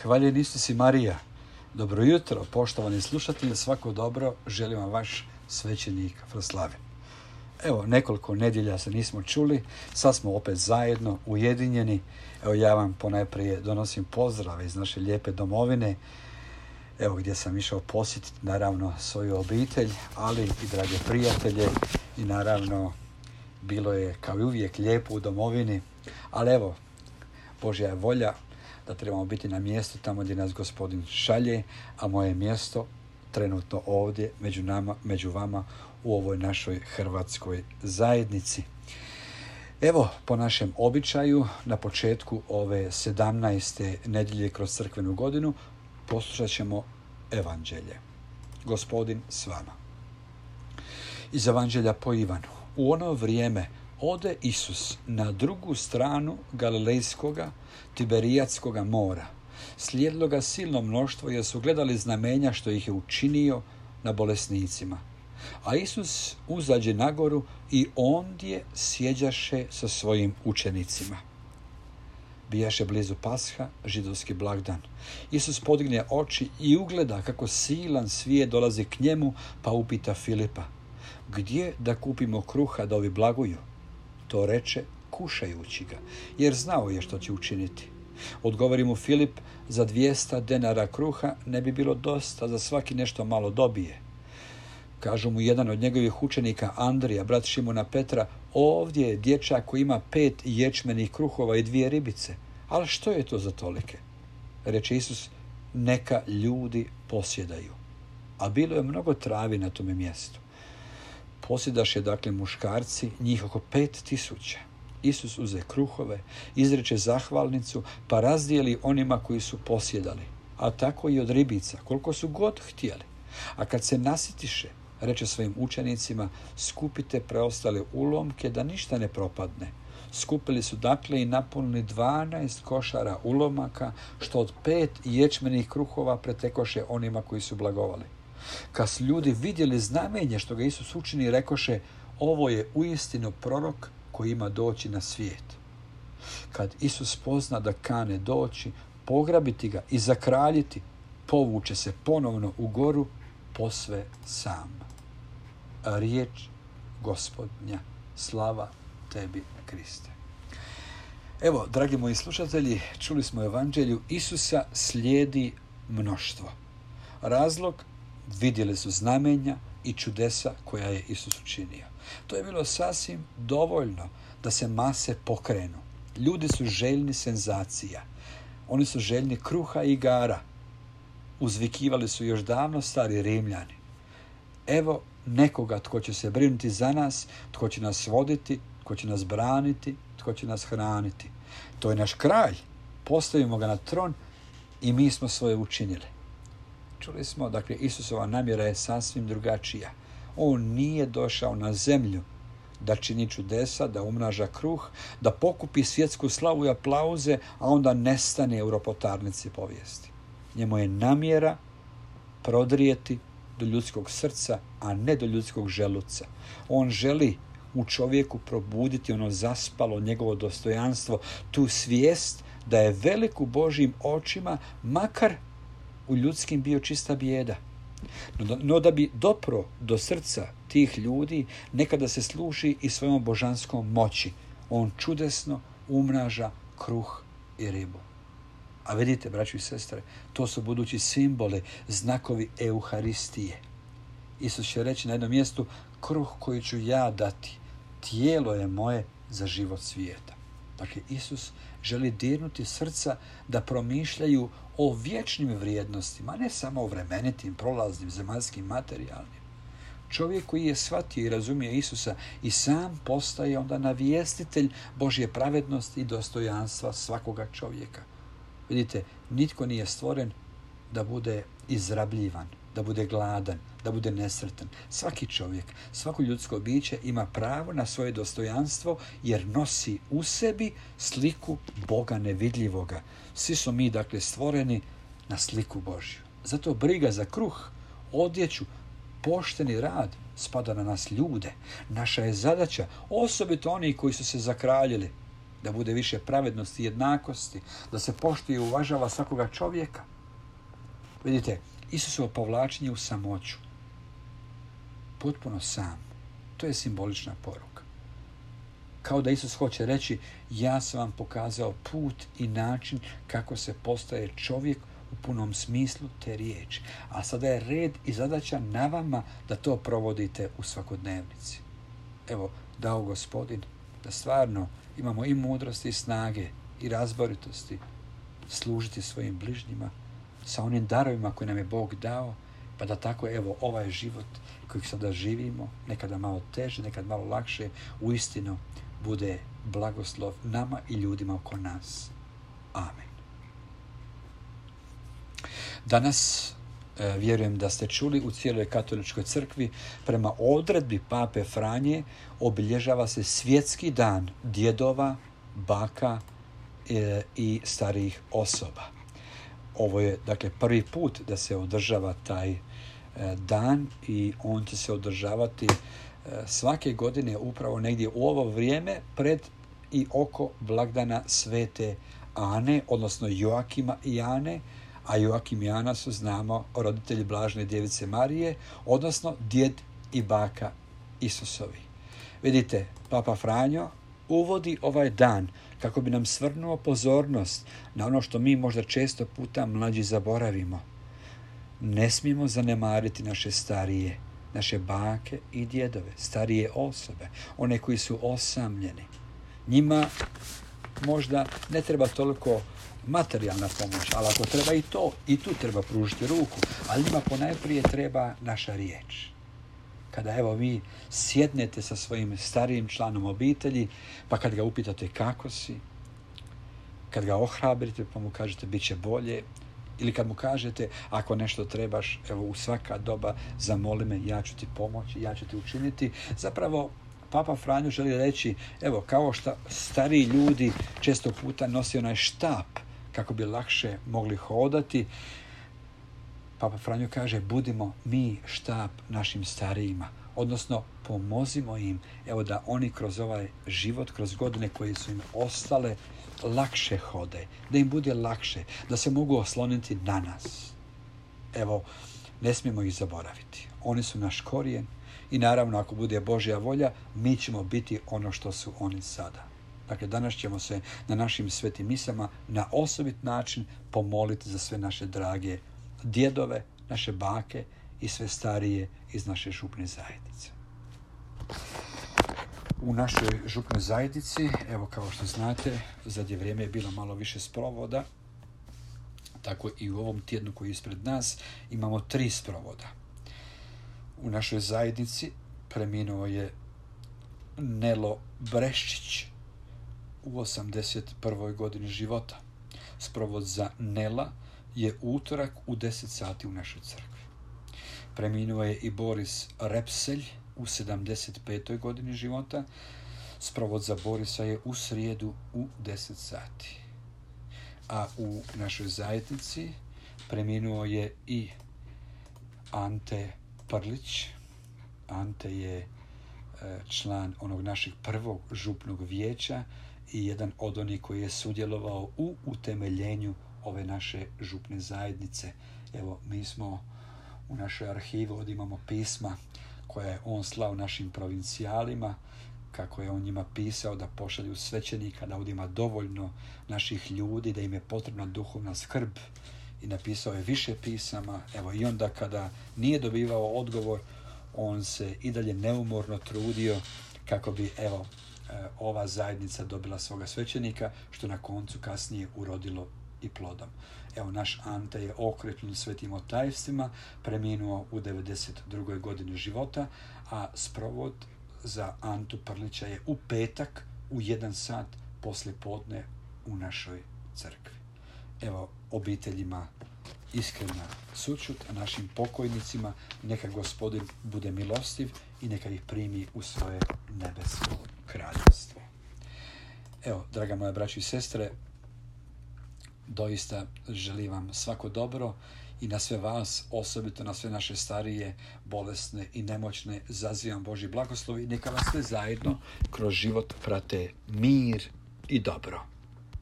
Hvaljen Isus i Marija. Dobro jutro, poštovani slušatelji, svako dobro, želim vam vaš svećenik Froslavin. Evo, nekoliko nedjelja se nismo čuli, sad smo opet zajedno, ujedinjeni. Evo, ja vam ponajprije donosim pozdrave iz naše lijepe domovine, evo gdje sam išao posjetiti naravno svoju obitelj, ali i drage prijatelje i naravno bilo je kao i uvijek lijepo u domovini, ali evo, Božja je volja da trebamo biti na mjestu tamo gdje nas Gospodin šalje, a moje mjesto trenutno ovdje među vama u ovoj našoj hrvatskoj zajednici. Evo, po našem običaju, na početku ove 17. nedjelje kroz crkvenu godinu poslušat ćemo evanđelje. Gospodin s vama. Iz evanđelja po Ivanu. U ono vrijeme ode Isus na drugu stranu Galilejskoga, Tiberijatskoga mora. Slijedilo ga silno mnoštvo jer su gledali znamenja što ih je učinio na bolesnicima. A Isus uzađe na goru i ondje sjeđaše sa svojim učenicima. Bijaše blizu Pasha, židovski blagdan. Isus podigne oči i ugleda kako silan svijet dolazi k njemu, pa upita Filipa: gdje da kupimo kruha da ovi blaguju? To reče kušajući ga, jer znao je što će učiniti. Odgovori mu Filip: za 200 denara kruha ne bi bilo dosta, za svaki nešto malo dobije. Kažu mu jedan od njegovih učenika, Andrija, brat Šimona Petra: ovdje je dječak koji ima 5 ječmenih kruhova i 2 ribice. Ali što je to za tolike? Reče Isus: neka ljudi posjedaju. A bilo je mnogo travi na tome mjestu. Posjedaše dakle muškarci, njih oko 5000. Isus uze kruhove, izreče zahvalnicu, pa razdijeli onima koji su posjedali, a tako i od ribica, koliko su god htjeli. A kad se nasitiše, reče svojim učenicima: skupite preostale ulomke da ništa ne propadne. Skupili su dakle i napunili 12 košara ulomaka, što od 5 ječmenih kruhova pretekoše onima koji su blagovali. Kad su ljudi vidjeli znamenje što ga Isus učini, rekoše: ovo je uistinu prorok koji ima doći na svijet. Kad Isus pozna da kane doći, pograbiti ga i zakraljiti, povuče se ponovno u goru posve sam. Riječ Gospodnja, slava tebi, Kriste. Evo, dragi moji slušatelji, čuli smo u evanđelju, Isusa slijedi mnoštvo. Razlog: vidjeli su znamenja i čudesa koja je Isus učinio. To je bilo sasvim dovoljno da se mase pokrenu. Ljudi su željni senzacija. Oni su željni kruha i igara. Uzvikivali su još davno stari Rimljani: evo nekoga tko će se brinuti za nas, tko će nas voditi, tko će nas braniti, tko će nas hraniti. To je naš kralj. Postavimo ga na tron i mi smo svoje učinili. Čuli smo, dakle, Isusova namjera je sasvim drugačija. On nije došao na zemlju da čini čudesa, da umnaža kruh, da pokupi svjetsku slavu i aplauze, a onda nestane u ropotarnici povijesti. Njemu je namjera prodrijeti do ljudskog srca, a ne do ljudskog želuca. On želi u čovjeku probuditi ono zaspalo njegovo dostojanstvo, tu svijest da je velik u Božjim očima, makar u ljudskim bio čista bijeda. No da bi dopro do srca tih ljudi, nekada se služi i svojom božanskom moći. On čudesno umnaža kruh i ribu. A vidite, braćo i sestre, to su budući simboli, znakovi Euharistije. Isus će reći na jednom mjestu: kruh koji ću ja dati, tijelo je moje za život svijeta. Dakle, Isus želi dirnuti srca da promišljaju o vječnim vrijednostima, ne samo o vremenitim, prolaznim, zemaljskim, materijalnim. Čovjek koji je shvatio i razumije Isusa i sam postaje onda navjestitelj Božje pravednosti i dostojanstva svakoga čovjeka. Vidite, nitko nije stvoren da bude izrabljivan, da bude gladan, da bude nesretan. Svaki čovjek, svako ljudsko biće ima pravo na svoje dostojanstvo jer nosi u sebi sliku Boga nevidljivoga. Svi smo mi, dakle, stvoreni na sliku Božju. Zato briga za kruh, odjeću, pošteni rad spada na nas ljude. Naša je zadaća, osobito oni koji su se zakraljili, da bude više pravednosti i jednakosti, da se poštuje i uvažava svakoga čovjeka. Vidite, Isusovo povlačenje u samoću, potpuno sam, to je simbolična poruka. Kao da Isus hoće reći, ja sam vam pokazao put i način kako se postaje čovjek u punom smislu te riječi. A sada je red i zadaća na vama da to provodite u svakodnevnici. Evo, dao Gospodin da stvarno imamo i mudrosti i snage i razboritosti služiti svojim bližnjima sa onim darovima koje nam je Bog dao, pa da tako, evo, ovaj život kojeg sada živimo, nekada malo teže, nekada malo lakše, uistinu bude blagoslov nama i ljudima oko nas. Amen. Danas, vjerujem da ste čuli, u cijeloj katoličkoj crkvi prema odredbi Pape Franje obilježava se svjetski dan djedova, baka i starijih osoba. Ovo je, dakle, prvi put da se održava taj dan i on će se održavati svake godine upravo negdje u ovo vrijeme pred i oko blagdana Svete Ane, odnosno Joakima i Ane, a Joakim i Ana su, znamo, roditelji Blažene Djevice Marije, odnosno djed i baka Isusovi. Vidite, Papa Franjo uvodi ovaj dan kako bi nam svrnuo pozornost na ono što mi možda često puta mlađi zaboravimo. Ne smijemo zanemariti naše starije, naše bake i djedove, starije osobe, one koji su osamljeni. Njima možda ne treba toliko materijalna pomoć, ali ako treba i tu treba pružiti ruku, ali njima ponajprije treba naša riječ. Kada, evo, vi sjednete sa svojim starijim članom obitelji, pa kad ga upitate kako si, kad ga ohrabrite pa mu kažete bit će bolje, ili kad mu kažete ako nešto trebaš, evo, u svaka doba zamoli me, ja ću ti pomoći, ja ću ti učiniti. Zapravo, Papa Franjo želi reći, evo, kao što stariji ljudi često puta nosi onaj štap kako bi lakše mogli hodati, Papa Franjo kaže, budimo mi štap našim starijima, odnosno pomozimo im, evo, da oni kroz ovaj život, kroz godine koje su im ostale, lakše hode, da im bude lakše, da se mogu osloniti na nas. Evo, ne smijemo ih zaboraviti. Oni su naš korijen i naravno, ako bude Božja volja, mi ćemo biti ono što su oni sada. Dakle, danas ćemo se na našim svetim misama na osobit način pomoliti za sve naše drage djedove, naše bake i sve starije iz naše župne zajednice. U našoj župnoj zajednici, evo, kao što znate, zadnje vrijeme je bilo malo više sprovoda, tako i u ovom tjednu koji je ispred nas imamo 3 sprovoda. U našoj zajednici preminuo je Nelo Breščić u 81. godini života. Sprovod za Nela je utorak u 10 sati u našoj crkvi. Preminuo je i Boris Repselj u 75. godini života. Sprovod za Borisa je u srijedu u 10 sati. A u našoj zajednici preminuo je i Ante Prlić. Ante je član onog našeg prvog župnog vijeća i jedan od onih koji je sudjelovao u utemeljenju ove naše župne zajednice. Evo, mi smo u našoj arhivi, ovdje imamo pisma koja je on slao našim provincijalima, kako je on njima pisao da pošalju svećenika, da ovdje ima dovoljno naših ljudi, da im je potrebna duhovna skrb, i napisao je više pisama. Evo, i onda kada nije dobivao odgovor, on se i dalje neumorno trudio kako bi, evo, ova zajednica dobila svoga svećenika, što na koncu kasnije urodilo i plodom. Evo, naš Ante je okrepljen svetim otajstvima, preminuo u 92. godini života, a sprovod za Antu Prlića je u petak u 1 sat poslijepodne u našoj crkvi. Evo, obiteljima iskrena sućut, a našim pokojnicima neka Gospodin bude milostiv i neka ih primi u svoje nebesko kraljevstvo. Evo, draga moja braćo i sestre, doista želim vam svako dobro i na sve vas, osobito na sve naše starije, bolesne i nemoćne, zazivam Božji blagoslov i neka vas sve zajedno kroz život prate mir i dobro.